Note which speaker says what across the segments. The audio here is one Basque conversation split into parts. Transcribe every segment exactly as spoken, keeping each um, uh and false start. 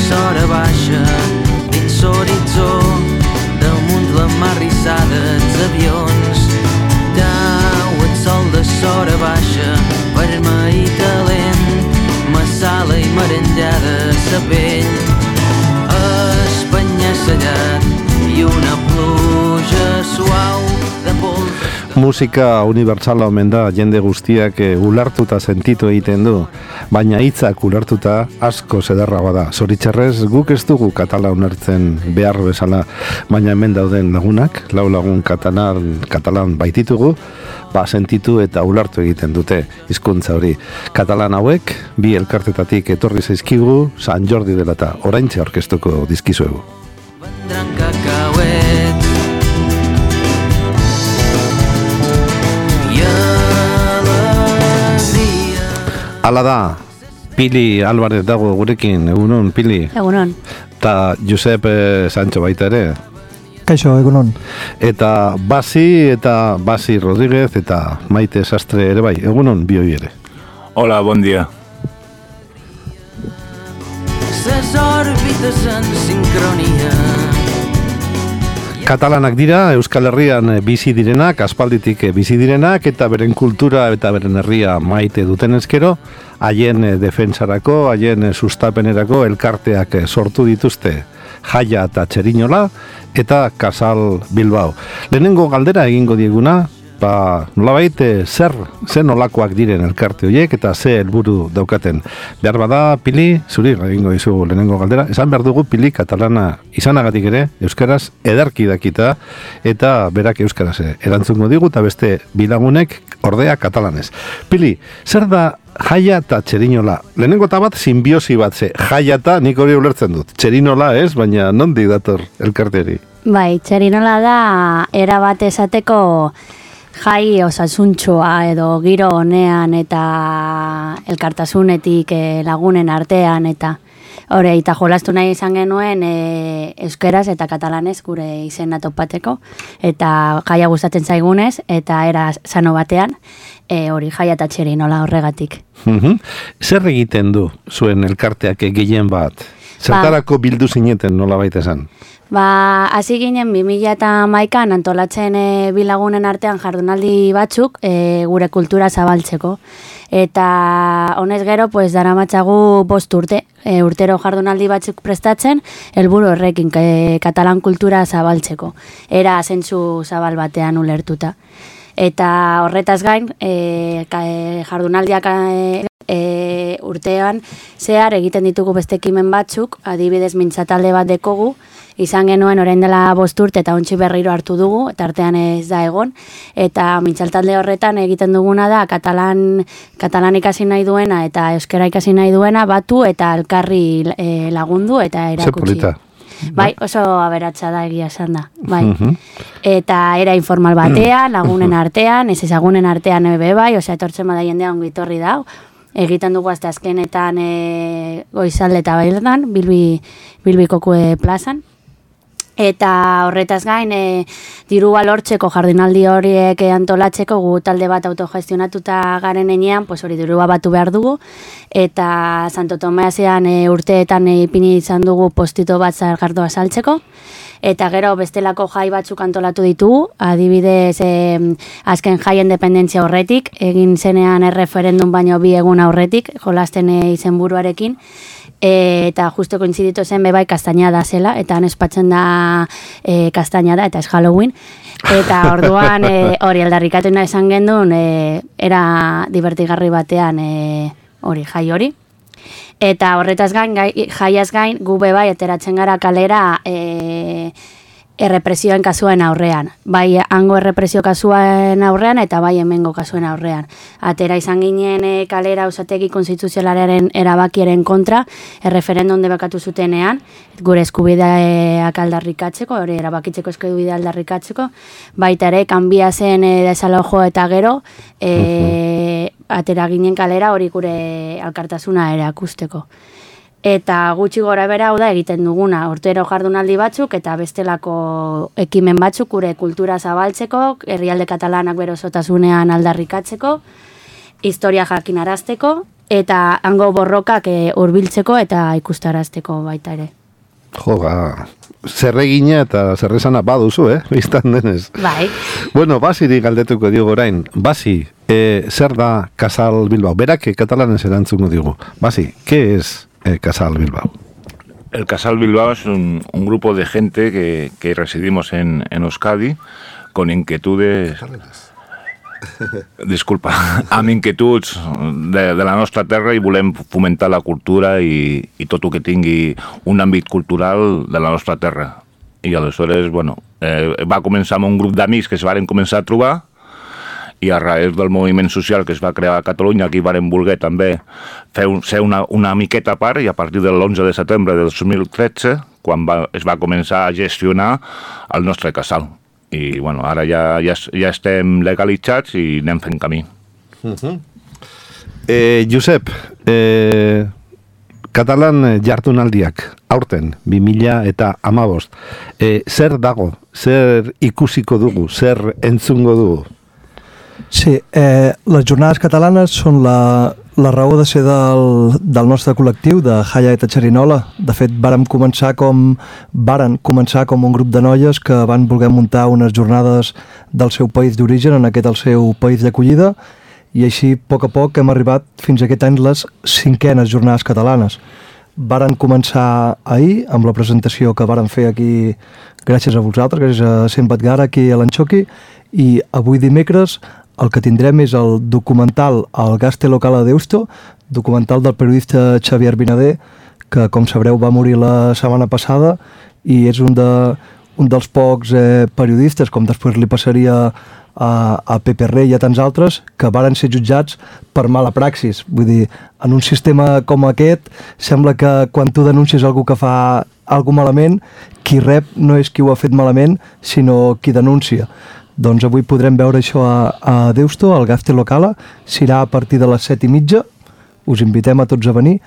Speaker 1: l'hora baixa dins l'horitzó, damunt la mar rissada els avions. Tau el sol de l'hora baixa, vermell i talent, massala i merengada sa pell. Espanya sellat i una pluja suau de pols.
Speaker 2: Musika unibertsala omen da jende guztiak ulertuta sentitu egiten du, baina hitzak ulertuta asko zederra bada. Zoritxarrez guk ez dugu katala ulertzen behar bezala, baina hemen dauden lagunak, lau lagun katalan, katalan baititugu, ba sentitu eta ulertu egiten dute hizkuntza hori. Katalan hauek, bi elkartetatik etorri zaizkigu, San Jordi dela eta oraintxe aurkeztuko dizkizuegu.
Speaker 1: Vendran cacauets i alegria.
Speaker 2: Hala da, Pili Álvarez dago gurekin, egunon, Pili.
Speaker 3: Egunon.
Speaker 2: Ta Josep Sancho baita ere.
Speaker 4: Kaixo, egunon.
Speaker 2: Eta Basi eta Basi Rodríguez eta Maite Sastre ere bai, egunon bioi ere.
Speaker 5: Hola, bon dia.
Speaker 1: Ses òrbites en sincronia.
Speaker 2: Katalanak dira, Euskal Herrian bizi direnak, aspalditik bizi direnak, eta beren kultura eta beren herria maite duten ezkero, haien defensarako, haien sustapenerako elkarteak sortu dituzte, Jaia eta Txerinola, eta Kasal Bilbao. Lehenengo galdera egingo dieguna, ba, nolabait, zer, zer nolakoak diren elkarte horiek eta ze helburu daukaten. Behar bada, Pili, zuri egingo dizugu lehenengo galdera, esan behar dugu Pili katalana izanagatik ere, euskaraz ederki dakita, eta berak euskaraz erantzungo digu, eta beste bilagunek ordea katalanez. Pili, zer da Jaia eta Txerinola? Lehenengo eta bat simbiosi bat ze, Jaia eta nik hori ulertzen dut, Txerinola ez, baina nondik dator elkarteri?
Speaker 3: Bai, Txerinola da era bat esateko jai osasuntxoa edo giro honean eta elkartasunetik lagunen artean eta hori eta jolastu nahi izan genuen e, euskeraz eta katalanez gure izena topateko eta jaia gustatzen zaigunez eta era sano batean e, hori Jaia eta Txerinola horregatik.
Speaker 2: Mm-hmm. Zer egiten du zuen elkarteak gehien bat? Zertarako bildu zineten nola baita esan?
Speaker 3: Ba, hasi ginen bi mila hamaikan antolatzen e, bilagunen artean jardunaldi batzuk e, gure kultura zabaltzeko. Eta honez gero, pues, daramatzagu bost urte, e, urtero jardunaldi batzuk prestatzen, helburu horrekin e, katalan kultura zabaltzeko. Era zentzu zabal batean ulertuta. Eta horretaz gain, e, ka, e, jardunaldiak e, e, urtean zehar egiten ditugu beste ekimen batzuk, adibidez mintzatalde bat dekogu, izan genuen orain dela bost urte eta ontsi berriro hartu dugu, eta artean ez da egon, eta mintzaltalde horretan egiten duguna da katalan, katalan ikasi nahi duena eta euskera ikasi nahi duena batu eta elkarri e, lagundu eta erakutsi. Bai, oso aberatsa da egia esan da, bai. Uh-huh. Eta era informal batean, lagunen artean, ez ezagunen artean ebe bai, osea etortzen bada jendea ongi etorri da, egiten dugu azte azkenetan e, goizalde eta baildan, bilbi, bilbikoko e, plazan. Eta horretaz gain, e, dirua lortzeko jardunaldi horiek antolatzeko gu talde bat autogestionatuta garen enean, pues hori dirua batu behar dugu, eta Santo Tomeasean e, urteetan e, ipini izan dugu postito bat zargardoa saltzeko, eta gero bestelako jai batzuk antolatu ditugu, adibidez e, azken jai independentzia horretik, egin zenean erreferendum baino bi egun aurretik, jolasten e, izenburuarekin, E, eta justo kointziditu zen bebai kastainada zela, eta han espatzen da e, kastainada, eta ez Halloween. Eta orduan e, hori aldarrikatu nahi esan gendun, e, era divertigarri batean e, hori jai hori. Eta horretaz gain, gai, jaiaz gain, gu bebai ateratzen gara kalera e, errepresioen kasuen aurrean. Bai hango errepresio kasuen aurrean eta bai hemengo kasuen aurrean. Atera izan ginen e, kalera Auzitegi konstituzionalaren erabakiaren kontra, erreferendum debekatu zutenean, gure eskubideak aldarrikatzeko, hori erabakitzeko eskubidea aldarrikatzeko, baita ere, kanbia zen e, desalojo eta gero, e, atera ginen kalera hori gure alkartasuna erakusteko. Eta gutxi gora bera hau da egiten duguna, urtero jardunaldi batzuk eta bestelako ekimen batzuk gure kultura zabaltzeko, herrialde katalanak bere osotasunean aldarrikatzeko, historia jakinarazteko eta hango borrokak hurbiltzeko eta ikustarazteko baita ere.
Speaker 2: Jo, ba, zerregina eta zerrezana baduzu, eh? Biztan denez.
Speaker 3: Bai.
Speaker 2: Bueno, Basiri galdetuko diogu orain. Basi, eh, zer da Casal Bilbao? Berak katalanez erantzungo digu. Basi, ¿qué es eh, Casal Bilbao?
Speaker 4: El Casal Bilbao es un, un grupo de gente que, que residimos en, en Euskadi con inquietudes... Disculpa, amb inquietuds de, de la nostra terra i volem fomentar la cultura i, i tot el que tingui un àmbit cultural de la nostra terra. I aleshores, bueno, eh, va començar amb un grup d'amics que es varen començar a trobar i a raïs del moviment social que es va crear a Catalunya, aquí varen voler també fer un, ser una, una miqueta a part i a partir de l'onze de setembre de dos mil tretze, quan va, es va començar a gestionar el nostre casal. I bueno, ara ja, ja, ja estem legalitzats i anem fent camí.
Speaker 2: Uh-huh. eh, Josep, eh, Katalan jardunaldiak, aurten, bi mila eta hamabost, eh, zer dago, zer ikusiko dugu, zer entzungo dugu?
Speaker 5: Sí, eh, les jornades catalanes són la, la raó de ser del, del nostre col·lectiu, de Jaya eta Xerinola. De fet, vàrem començar com varen començar com un grup de noies que van voler muntar unes jornades del seu país d'origen, en aquest el seu país d'acollida, i així, a poc a poc, hem arribat fins a aquest any les cinquenes jornades catalanes. Varen començar ahir, amb la presentació que varen fer aquí, gràcies a vosaltres, gràcies a Cent Batgara, aquí a l'Anxoqui, i avui dimecres el que tindrem és el documental El Gaste Local a Deusto, documental del periodista Xavier Binader, que, com sabreu, va morir la setmana passada i és un, de, un dels pocs eh, periodistes, com després li passaria a, a Pepe Rey i a tants altres, que varen ser jutjats per mala praxis. Vull dir, en un sistema com aquest, sembla que quan tu denuncies algú que fa alguna malament, qui rep no és qui ho ha fet malament, sinó qui denuncia. Doncs avui podrem veure això a, a Deusto, al Gaste Locala, serà a partir de les set i mitja, us invitem a tots a venir.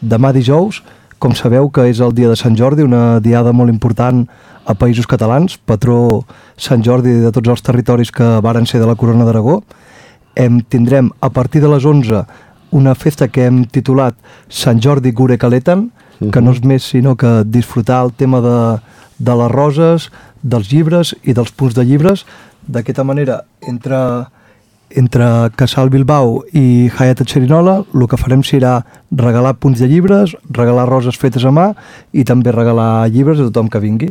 Speaker 5: Demà dijous, com sabeu que és el dia de Sant Jordi, una diada molt important a Països Catalans, patró Sant Jordi de tots els territoris que varen ser de la Corona d'Aragó. Em tindrem a partir de les onze una festa que hem titulat Sant Jordi Gure Kaletan, uh-huh. que no és més sinó que disfrutar el tema de, de les roses, dels llibres i dels punts de llibres. D'aquesta manera, entre, entre Casal Bilbao i Jaya Xerinola, el que farem serà regalar punts de llibres, regalar roses fetes a mà i també regalar llibres a tothom que vingui.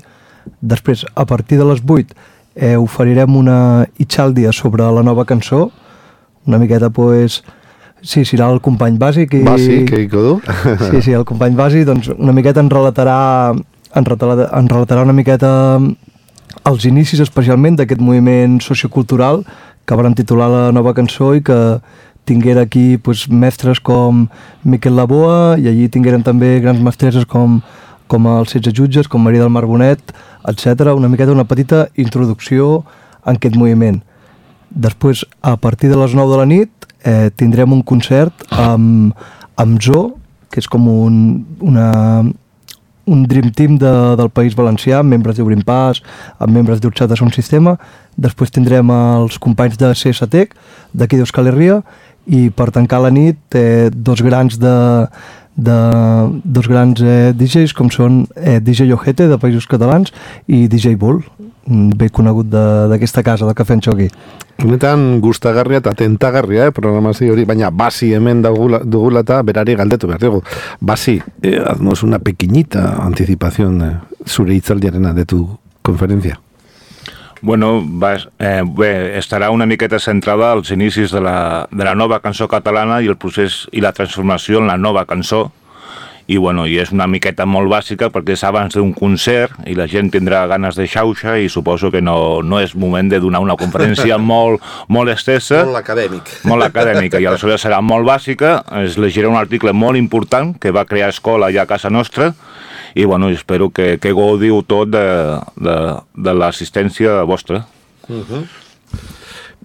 Speaker 5: Després, a partir de les vuit, eh, oferirem una itxàldia sobre la nova cançó, una miqueta, pues, sí, serà el company Bàsic. I...
Speaker 2: Bàsic, que hi codo.
Speaker 5: Sí, sí, el company Bàsic, doncs una miqueta en relatarà, en relatarà, en relatarà una miqueta els inicis especialment d'aquest moviment sociocultural que van titular la nova cançó i que tinguera aquí pues, mestres com Miquel Laboa i allí tingueren també grans mestresses com, com els setze jutges, com Maria del Mar Bonet, etcètera. Una miqueta una petita introducció en aquest moviment. Després, a partir de les nou de la nit, eh, tindrem un concert amb, amb Zoo, que és com un, una... un dream team de, del País Valencià, amb membres d'Obrim Pas, amb membres d'Urxat de Son Sistema. Després tindrem els companys de C S T E C, d'aquí d'Euskal Herria, i per tancar la nit, eh, dos grans de, de dos grans eh, D Js, com són eh, D J Ojete, de Països Catalans, i D J Bull, bé conegut d'aquesta casa, del Cafè Anxoqui.
Speaker 2: Honetan gustagarria eta tentagarria, eh, programazio hori, baina Basi hemen dugula, dugula eta berari galdetu behar dugu. Basi, eh, haznos una pequeñita anticipación eh, zure hitzaldiarena de tu conferencia.
Speaker 4: Bueno, va, eh, bé, estarà una miqueta centrada als inicis de la, de la nova cançó catalana i el procés i la transformació en la nova cançó. I, bueno, i és una miqueta molt bàsica perquè és abans d'un concert i la gent tindrà ganes de xauxa i suposo que no, no és moment de donar una conferència molt, molt estesa.
Speaker 2: Molt acadèmic.
Speaker 4: Molt acadèmica, i aleshores serà molt bàsica. Es llegirà un article molt important que va crear Escola allà a casa nostra i, bueno, espero que, que gaudiu tot de, de, de l'assistència vostra.
Speaker 2: Uh-huh.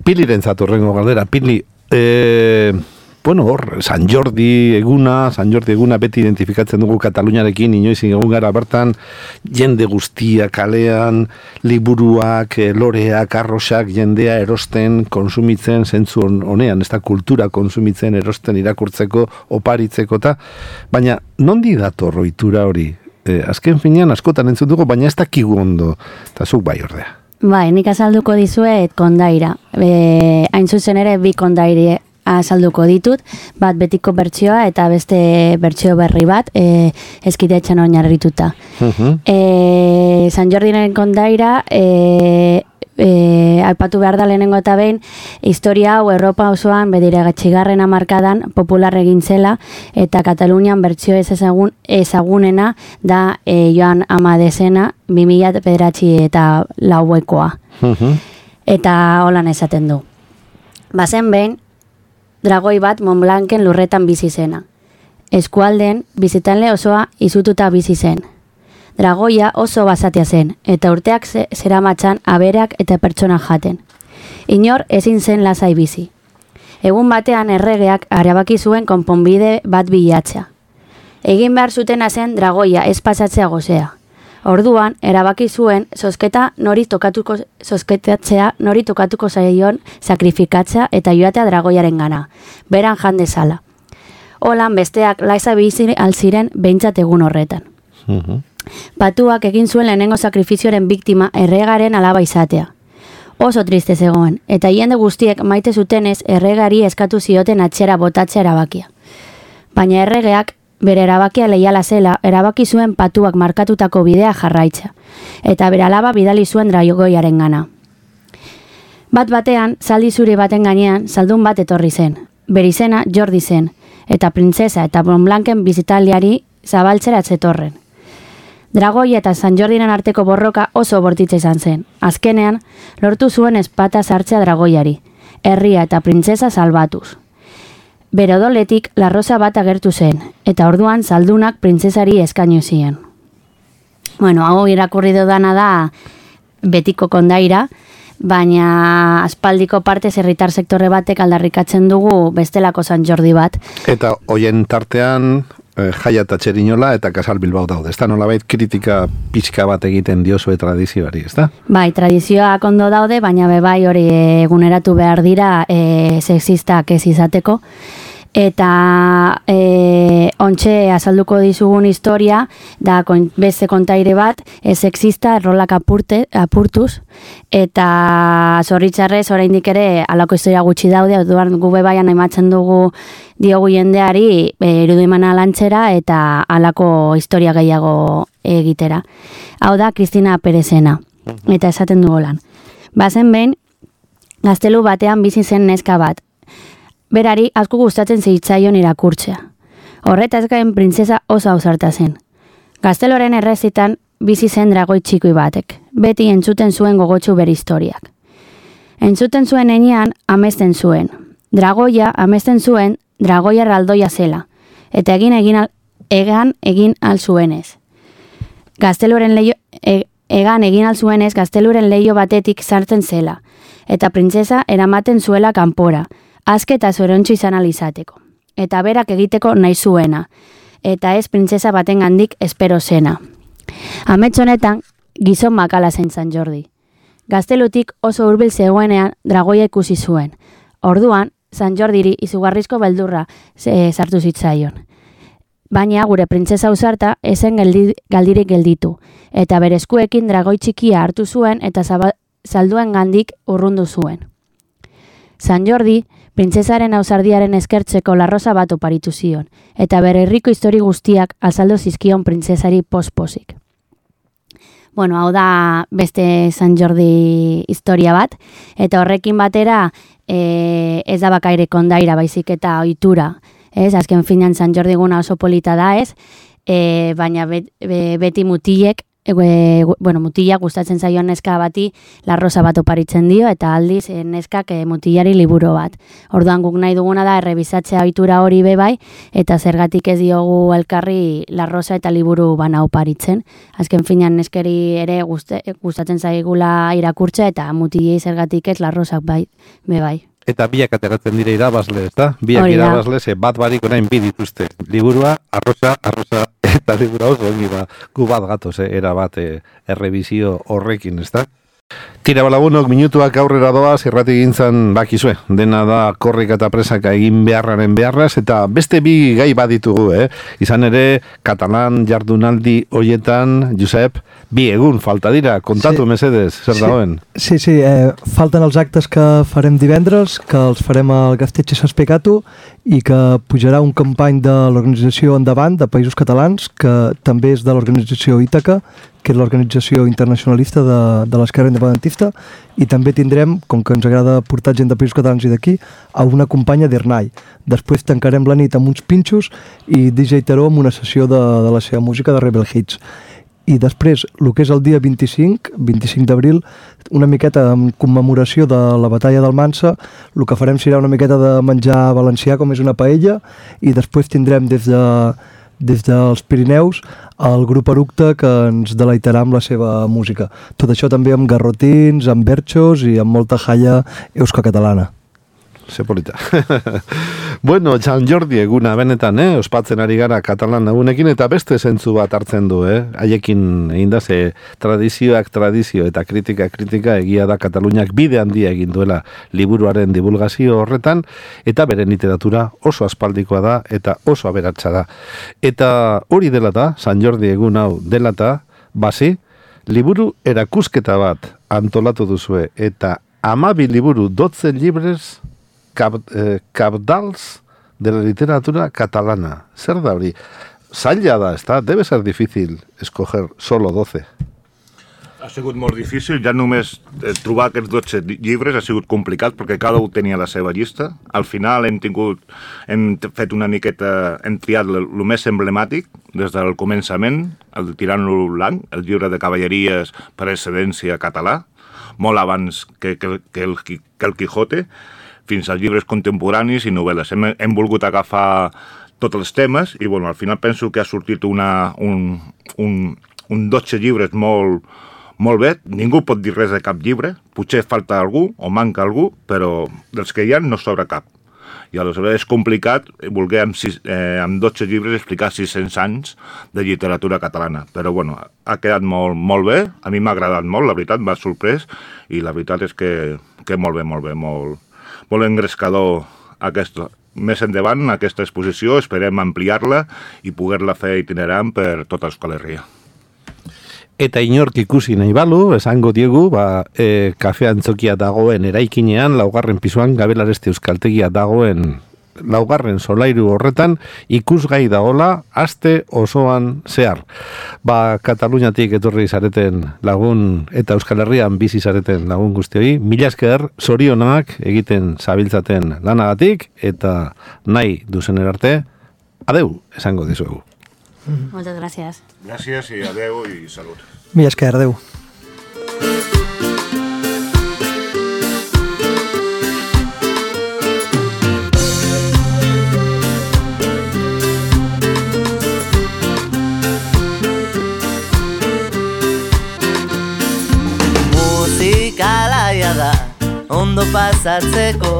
Speaker 2: Piliren zatu rengo galdera. Pili, eh, bueno, hor, San Jordi eguna, San Jordi eguna beti identifikatzen dugu Kataluniarekin, inoiz egun gara bertan, jende guztia kalean, liburuak, loreak, arrosak, jendea erosten, konsumitzen, zentzu honean, ez da kultura konsumitzen, erosten, irakurtzeko, oparitzeko, ta, baina nondi dator ohitura hori? Eh, azken finean askotan entzun dugu, baina ez dakigu ondo, eta zuk bai ordea.
Speaker 3: Bai, nik azalduko dizuet kondaira. E, hain zuzen ere bi kondairi azalduko ditut, bat betiko bertsioa eta beste bertsio berri bat, e, eskidetxan oinarrituta. Uh-huh. E, San Jordiren kondaira, e, e, aipatu behar da lehenengo eta behin, historia hau Europa osoan bedire gatxigarren hamarkadan popular egin zela, eta Katalunian bertsio ez ezagun, ezagunena da e, Joan Amadesena, bi mila bederatzi eta lauekoa. Uh-huh. Eta holan esaten du. Bazen behin, dragoi bat Montblanken lurretan bizi zena. Eskualden, bizitanle osoa izututa bizi zen. Dragoia oso basatia zen, eta urteak ze, zeramatxan abereak eta pertsona jaten. Inor ezin zen lasai bizi. Egun batean erregeak arabaki zuen konponbide bat bilatzea. Egin behar zutena zen dragoia ez pasatzea gozea. Orduan, erabaki zuen zozketa nori tokatuko zozketatzea nori tokatuko zaion sakrifikatzea eta joatea dragoiaren gana, beran jan dezala. Holan besteak laiza bizi alziren behintzat egun horretan. Uh-huh. Patuak egin zuen lehenengo sakrifizioaren biktima erregaren alaba izatea. Oso triste zegoen, eta jende guztiek maite zutenez erregari eskatu zioten atxera botatzea erabakia. Baina erregeak bere erabakia leiala zela, erabaki zuen patuak markatutako bidea jarraitza, eta bere alaba bidali zuen dragoiaren gana. Bat batean, zaldi zuri baten gainean, zaldun bat etorri zen. Bere izena Jordi zen, eta printzesa eta Montblanken bizitaliari zabaltzera zetorren. Dragoi eta San Jordiren arteko borroka oso bortitza izan zen. Azkenean, lortu zuen espata sartzea dragoiari, herria eta printzesa salbatuz. Bere odoletik larrosa bat agertu zen, eta orduan zaldunak printzesari eskainu zien. Bueno, hau irakurri dudana da betiko kondaira, baina aspaldiko partez herritar sektore batek aldarrikatzen dugu bestelako San Jordi bat.
Speaker 2: Eta hoien tartean eh, Jaia eta Txerinola eta Kasal Bilbao daude. Ez da nolabait kritika pixka bat egiten diozue tradizioari, ez da?
Speaker 3: Bai, tradizioak ondo daude, baina bebai hori eguneratu behar dira e, sexistak ez izateko. Eta e, ontxe azalduko dizugun historia da kon, beste kontaire bat e, sexista errolak apurte, apurtuz eta zorritzarrez oraindik ere alako historia gutxi daude, orduan gube baian ematzen dugu diogu jendeari e, irudimana lantzera eta alako historia gehiago egitera. Hau da Kristina Perezena, eta esaten du holan. Bazen behin, gaztelu batean bizi zen neska bat. Berari asko gustatzen zitzaion irakurtzea. Horretaz gain printzesa oso ausarta zen. Gazteloren errezitan bizi zen dragoi txikoi batek. Beti entzuten zuen gogotsu bere historiak. Entzuten zuen enean amesten zuen. Dragoia amesten zuen dragoia erraldoia zela. Eta egin egin al, egan egin al zuenez. Gazteloren leio, e, egan egin al zuenez gazteluren leio batetik sartzen zela. Eta printzesa eramaten zuela kanpora. Azke eta zorontxo izan alizateko, eta berak egiteko nahi zuena, eta ez printzesa baten gandik espero zena. Amets honetan, gizon makala zen San Jordi. Gaztelutik oso hurbil zegoenean dragoia ikusi zuen. Orduan, San Jordiri izugarrizko beldurra e, sartu zitzaion. Baina gure printzesa ausarta ezen geldi, galdirik gelditu, eta bere eskuekin dragoi txikia hartu zuen eta zaba, zalduen gandik urrundu zuen. San Jordi, printzesaren ausardiaren eskertzeko larrosa bat oparitu zion, eta bere herriko histori guztiak azaldu zizkion printzesari posposik. Bueno, hau da beste San Jordi historia bat, eta horrekin batera e, ez da bakaire kondaira baizik eta ohitura. Ez, azken finean San Jordi eguna oso polita da ez, e, baina bet, be, beti mutilek, E, bueno, mutila gustatzen zaioan neska bati larrosa bat oparitzen dio eta aldiz e, neskak e, mutilari liburu bat. Orduan guk nahi duguna da errebisatzea ohitura hori be bai eta zergatik ez diogu elkarri larrosa eta liburu bana oparitzen. Azken finean neskeri ere guste, gustatzen zaigula irakurtzea eta mutilei zergatik ez larrosak bai be bai.
Speaker 2: eta biak ateratzen dire irabazle, eta biak
Speaker 3: Hori da.
Speaker 2: irabazle, ze bat barik orain bi dituzte. Liburua, arroza, arroza, eta liburua oso ongi ba, gu bat gatoz, eh, era bat eh, errebizio horrekin, ezta? Tira balabunok, minutuak aurrera doaz, irrati gintzan bakizue. Dena da korrika eta presaka egin beharraren beharraz, eta beste bi gai baditugu, eh? Izan ere, katalan jardunaldi hoietan, Josep, bi egun falta dira, kontatu
Speaker 5: Sí.
Speaker 2: mesedez, zer
Speaker 5: Sí.
Speaker 2: dagoen?
Speaker 5: Sí, sí, eh, falten els actes que farem divendres, que els farem al Gaztetxe Saspicatu i que pujarà un company de l'organització Endavant, de Països Catalans, que també és de l'organització Ítaca, que és l'organització internacionalista de, de l'esquerra independentista, i també tindrem, com que ens agrada portar gent de Països Catalans i d'aquí, a una companya d'Ernai. Després tancarem la nit amb uns pinxos i D J Taró amb una sessió de, de la seva música de Rebel Hits. I després, el que és el dia vint-i-cinc, vint-i-cinc d'abril, una miqueta en commemoració de la batalla d'Almansa, el que farem serà una miqueta de menjar valencià, com és una paella, i després tindrem des de des dels Pirineus el grup Eructe, que ens deleitarà amb la seva música. Tot això també amb garrotins, amb berxos i amb molta jalla eusko-catalana.
Speaker 2: Zepolita. Bueno, Sant Jordi eguna benetan, eh? Ospatzen ari gara katalan egunekin, eta beste zentzu bat hartzen du, eh? Haiekin egin da, ze tradizioak tradizio eta kritika kritika egia da Kataluniak bide handia egin duela liburuaren divulgazio horretan, eta beren literatura oso aspaldikoa da eta oso aberatsa da. Eta hori dela da, Sant Jordi egun hau dela da, basi, liburu erakusketa bat antolatu duzue, eta hamabi liburu dotzen libres Cap, eh, cabdals de la literatura catalana. Zer da hori? Zaila da, està? Debe ser difícil escoger solo doce.
Speaker 4: Ha sigut molt difícil, ja només eh, trobar aquests dotze llibres ha sigut complicat perquè cada un tenia la seva llista. Al final hem tingut, hem fet una miqueta, hem triat el més emblemàtic des del començament, el Tirant-lo blanc, el llibre de cavalleries per excedència català, molt abans que, que, que, el, que el Quijote, fins als llibres contemporanis i novel·les. Hem, hem volgut agafar tots els temes i bueno, al final penso que ha sortit una, un, un, un dotze llibres molt, molt bé. Ningú pot dir res de cap llibre, potser falta algú o manca algú, però dels que hi ha no sobra cap. I aleshores és complicat voler amb, sis, eh, amb dotze llibres explicar sis-cents anys de literatura catalana. Però bueno, ha quedat molt, molt bé, a mi m'ha agradat molt, la veritat, m'ha sorprès, i la veritat és que, que molt bé, molt bé, molt, molt engrescador aquest. Més endavant, aquesta exposició, esperem ampliar-la i poder-la fer itinerant per tota Euskal Herria.
Speaker 2: Eta inork ikusi nahi balu, esango diegu, ba, e, kafe antzokia dagoen eraikinean, laugarren pisuan, Gabelareste Euskaltegia dagoen laugarren solairu horretan, ikusgai dagola, aste osoan zehar. Ba, Kataluniatik etorri zareten lagun, eta Euskal Herrian bizi zareten lagun guztioi, mila esker, zorionak egiten zabiltzaten lanagatik, eta nahi duzen erarte, adeu, esango dizuegu.
Speaker 3: Muchas gracias.
Speaker 4: Gràcies i adeu i salut.
Speaker 5: Mila esker, adeu.
Speaker 1: Musikalaia da, ondo pasatzeko,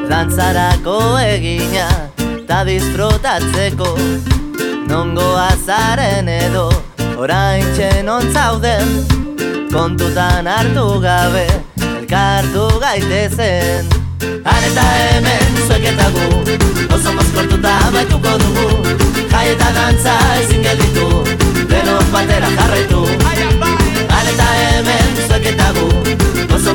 Speaker 1: dantzarako egina, ta disfrutatzeko. Nongo azaren edo, orain txenon zauden, kontutan hartu gabe, elkartu gaitezen. Han eta hemen zuek eta gu, oso mozkortuta baituko dugu, jai eta dantza ezin gelditu, denok batera jarraitu. Han eta hemen zuek eta gu, oso